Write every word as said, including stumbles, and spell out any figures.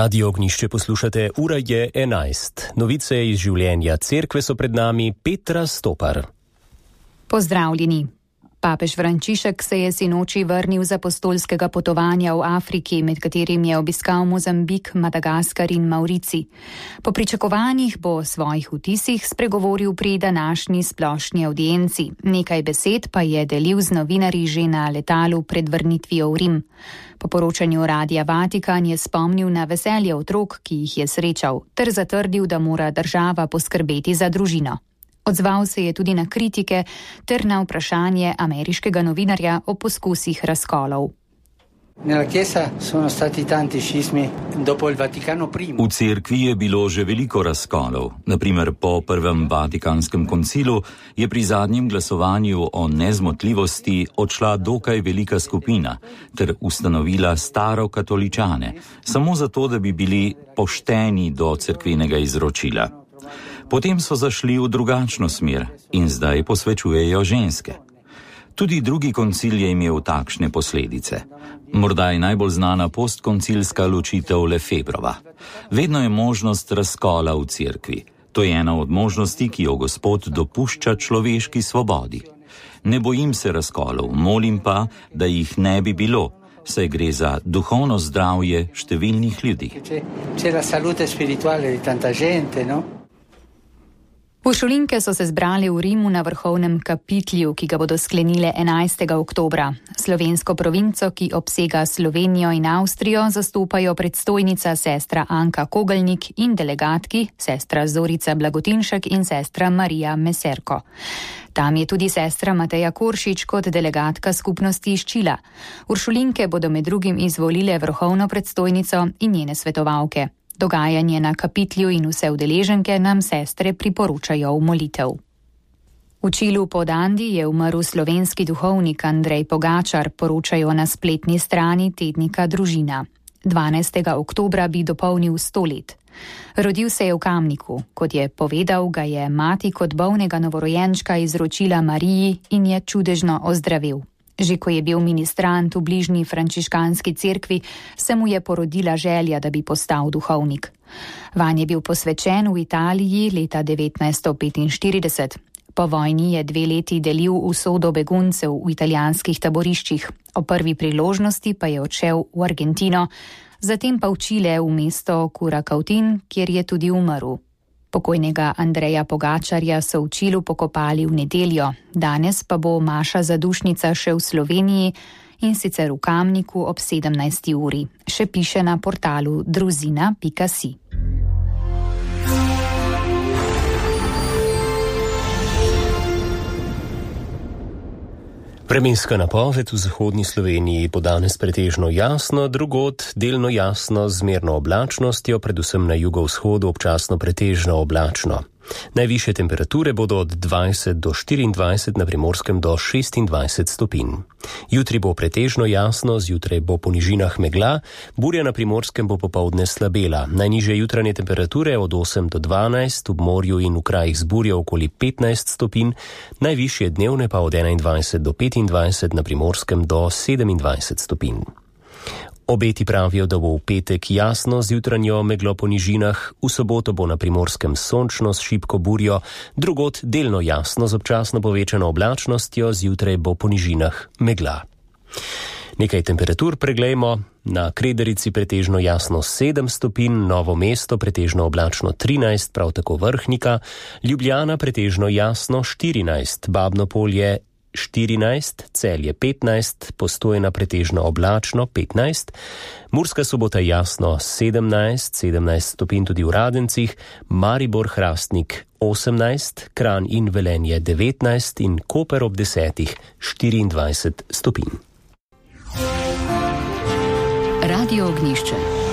Radio Ognišče poslušate, ura je enajst. Novice iz življenja cerkve so pred nami, Petra Stopar. Pozdravljeni. Papež Frančišek se je sinoči vrnil z apostolskega potovanja v Afriki, med katerim je obiskal Mozambik, Madagaskar in Maurici. Po pričakovanjih bo o svojih vtisih spregovoril pri današnji splošni avdienci. Nekaj besed pa je delil z novinarji že na letalu pred vrnitvijo v Rim. Po poročanju Radia Vatikan je spomnil na veselje otrok, ki jih je srečal, ter zatrdil, da mora država poskrbeti za družino. Odzval se je tudi na kritike ter na vprašanje ameriškega novinarja o poskusih razkolov. V cerkvi je bilo že veliko razkolov. Naprimer, po prvem Vatikanskem koncilu je pri zadnjem glasovanju o nezmotljivosti odšla dokaj velika skupina ter ustanovila starokatoličane, samo zato, da bi bili pošteni do cerkvenega izročila. Potem so zašli v drugačno smer in zdaj posvečujejo ženske. Tudi drugi koncil je imel takšne posledice. Morda je najbolj znana postkoncilska ločitev Lefebrova. Vedno je možnost razkola v cerkvi. To je ena od možnosti, ki jo Gospod dopušča človeški svobodi. Ne bojim se razkolov, molim pa, da jih ne bi bilo, saj gre za duhovno zdravje številnih ljudi. Uršulinke so se zbrali v Rimu na vrhovnem kapitlju, ki ga bodo sklenile enajstega oktobra. Slovensko provinco, ki obsega Slovenijo in Avstrijo, zastopajo predstojnica sestra Anka Kogelnik in delegatki sestra Zorica Blagotinšek in sestra Marija Meserko. Tam je tudi sestra Mateja Koršič kot delegatka skupnosti iz Čila. Uršulinke bodo med drugim izvolile vrhovno predstojnico in njene svetovalke. Dogajanje na kapitlju in vse udeleženke nam sestre priporočajo v molitev. V Čilu pod Andi je umrl slovenski duhovnik Andrej Pogačar, poročajo na spletni strani tednika Družina. dvanajstega oktobra bi dopolnil sto let. Rodil se je v Kamniku. Kot je povedal, ga je mati kot bolnega novorojenčka izročila Mariji in je čudežno ozdravel. Že ko je bil ministrant v bližnji frančiškanski cerkvi, se mu je porodila želja, da bi postal duhovnik. Vanj je bil posvečen v Italiji leta devetnajststo petinštirideset. Po vojni je dve leti delil usodo beguncev v italijanskih taboriščih. O prvi priložnosti pa je odšel v Argentino, zatem pa v Čile v mesto Curacautín, kjer je tudi umrl. Pokojnega Andreja Pogačarja so v Čilu pokopali v nedeljo, danes pa bo maša zadušnica še v Sloveniji in sicer v Kamniku ob sedemnajsti uri. Še piše na portalu druzina pika si. Vremenska napoved v zahodni Sloveniji bo danes pretežno jasno, drugod delno jasno z zmerno oblačnostjo, predvsem na jugovzhodu občasno pretežno oblačno. Najvišje temperature bodo od dvajset do štiriindvajset, na Primorskem do šestindvajset stopinj. Jutri bo pretežno jasno, zjutraj bo po nižinah megla, burja na Primorskem bo popoldne slabela. Najnižje jutranje temperature od osem do dvanajst, v morju in v krajih z burjo okoli petnajst stopinj, najvišje dnevne pa od enaindvajset do petindvajset, na Primorskem do sedemindvajset stopinj. Obeti pravijo, da bo v petek jasno z jutranjo meglo po nižinah, v soboto bo na Primorskem sončno s šibko burjo, drugod delno jasno z občasno povečano oblačnostjo, zjutraj bo po nižinah megla. Nekaj temperatur preglejmo. Na Krederici pretežno jasno sedem stopinj, Novo mesto pretežno oblačno trinajst, prav tako Vrhnika, Ljubljana pretežno jasno štirinajst, Babno Polje štirinajst, Celje petnajst, Postojna pretežno oblačno petnajst, Murska Sobota jasno sedemnajst, sedemnajst stopinj tudi v Radencih, Maribor Hrastnik osemnajst, Kranj in Velenje devetnajst in Koper ob desetih štiriindvajset stopinj. Radio Ognišče.